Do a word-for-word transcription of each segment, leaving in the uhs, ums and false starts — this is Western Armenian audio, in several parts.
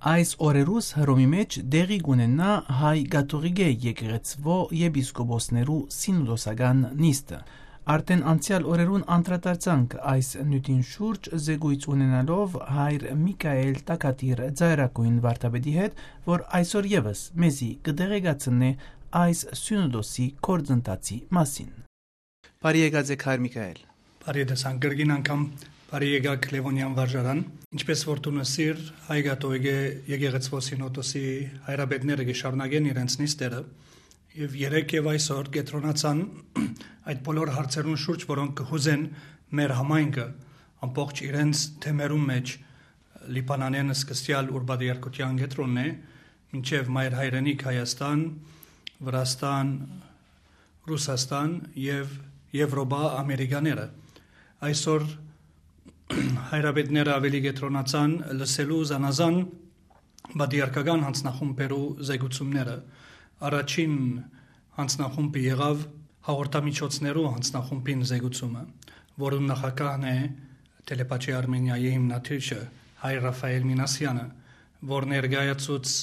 Այս օրերուս Հռոմի մէջ տեղի կ'ունենայ հայ կաթողիկէ եկեղեցւոյ եպիսկոպոսներու սինոդոսական նիստը։ Արդէն անցեալ օրերուն անդրադարձանք այս նիւթին շուրջ, զեկոյց ունենալով հայր Միքայէլ Տակատիր ծայրագոյն վարդապետի հետ, որ այսօր եւս մեզի կը տեղեկացնէ այս սինոդոսի գործընթացի մասին։ Բարի եկած եք, հայր Միքայէլ։ Բարի տեսանք, կրկին անգամ բարի եկաք Լեւոնեան վարժարան։ Ինչպէս որ դուն ըսիր, հայ կաթողիկէ եկեղեցւոյ սինոդոսի հայրապետները կը շարունակեն իրենց նիստերը, եւ երեկ եւ այսօր կեդրոնացան այդ բոլոր հարցերուն շուրջ, որոնք կը յուզեն մեր համայնքը, ամբողջ իրենց թեմերուն մէջ, Լիբանանէն սկսեալ, ուր պատրիարքութեան կեդրոնն է, մինչեւ մայր հայրենիք Հայաստան, Վրաստան, Ռուսաստան եւ Եւրոպա, Ամերիկաները։ Այսօր հայրապետները աւելի կեդրոնացան լսելու զանազան պատրիարքական յանձնախումբերու զեկուցումները։ Առաջին յանձնախումբը եղաւ հաղորդամիջոցներու յանձնախումբին զեկուցումը, որուն նախագահն է Թելեպաչի Արմենիայի հիմնադիրը, հայր Ռաֆայել Մինասյանը, որ ներկայացուց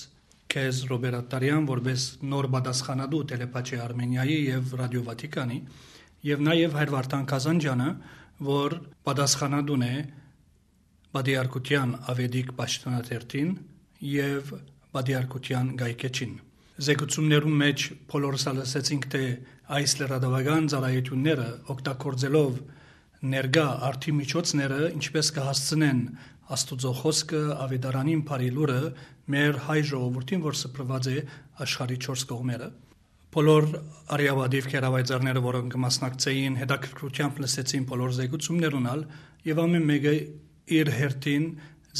քեզ, Ռոբեր Ատտարեան, որպէս նոր պատասխանատու Թելեպաչի Արմենիայի եւ Ռադիո Վատիկանի, եւ նաեւ հայր Վարդան Կազանջյանը, որ պատասխանատուն է պատրիարքութեան աւետիք պաշտոնաթերթին եւ պատրիարքութեան կայքէջին։ Զեկուցումներուն մէջ բոլորս ալ լսեցինք, թէ այս լրատուական ծառայութիւնները օգտագործելով ներկայ արդի միջոցները, ինչպէս կը հասցնեն Աստուծոյ խօսքը, աւետարանին բարի լուրը մեր հայ ժողովուրդին, որ սփռուած է աշխարհի չորս կողմերը։ Բոլոր արիապատիւ գերավայծառները, որոնք կը մասնակցէին, հետաքրքրութեամբ լսեցին բոլոր զեկուցումներուն ալ, եւ ամէն մէկը իր հերթին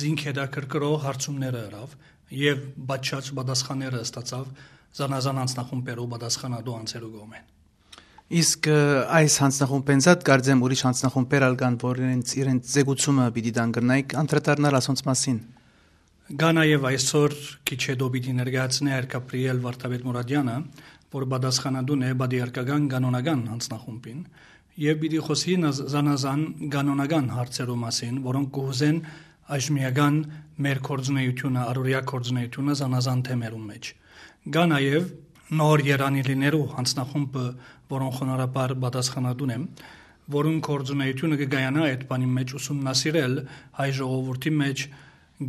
զինք հետաքրքրող հարցումները ըրաւ եւ պատշաճ պատասխանները ստացաւ զանազան յանձնախումբերու պատասխանատու անձերու կողմէն։ Իսկ, ը, այս յանձնախումբէն զատ կարծեմ ուրիշ յանձնախումբեր ալ կան, որ իրենց, իրենց զեկուցումը պիտի տան, կրնայիք անդրադառնալ ասոնց մասին։ Կա նաեւ այսօր քիչ հետո պիտի ներկայացնէ հայր Գաբրիել Վարդապետ Մուրադյանը, որ պատասխանատուն է պատրիարքական կանոնական յանձնախումբին, եւ պիտի խօսի նզ-, զանազան կանոնական հարցերու մասին, որոնք կը յուզեն այժմեական մեր գործունեութիւնը, առօրեայ գործունեութիւնը զանազան թեմերուն մէջ։ Կա նաեւ նոր երանելիներու յանձնախումբը, որուն խոնարհաբար պատասխանատուն եմ, որուն գործունեութիւնը կը կայանայ այդ բանին մէջ ուսումնասիրել հայ ժողովուրդի մէջ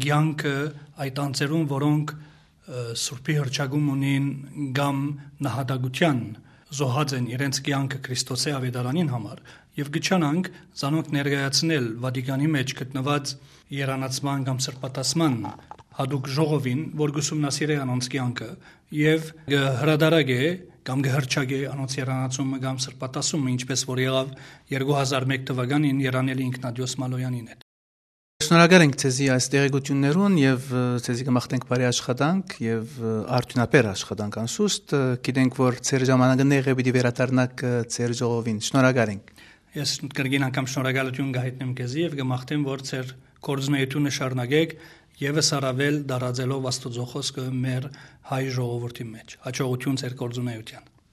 կեանքը այդ անձերուն, որոնք, ը, Սուրբի հռչակում ունին կամ նահատակութեան զոհած են իրենց կեանքը Քրիստոսի աւետարանին համար, եւ կը չանանք զանոնք ներկայացնել Վատիկանի մէջ գտնուած երանացման կամ սրբատասման յատուկ ժողովին, որ կ'ուսումնասիրէ անոնց կեանքը եւ կը հրադարակէ կամ կը հռչակէ անոնց երանացումը կամ սրբատասումը, ինչպէս որ եղաւ երկու հազար մէկ թուականին երանելի Իգնատիոս Մալոյանին հետ։ Շնորհակալ ենք ձեզի այս տեղեկություններուն եւ, ը, ձեզի կը մաղթենք բարի աշխատանք եւ, ը, արդիւնաբեր աշխատանք անշուշտ։ Ը, գիտենք, որ ձեր ժամանակը նեղ է, պիտի վերադառնաք, ը, ձեր ժողովին։ Շնորհակալ ենք։ Ես կրկին անգամ շնորհակալութիւն կը հայտնեմ քեզի եւ կը մաղթեմ, որ ձեր գործունեութիւնը շարունակեք, եւս առավել տարածելով Աստուծոյ խօսքը մեր հայ ժողովուրդի մէջ։ Յաջողութիւն ձեր գործունեութեան։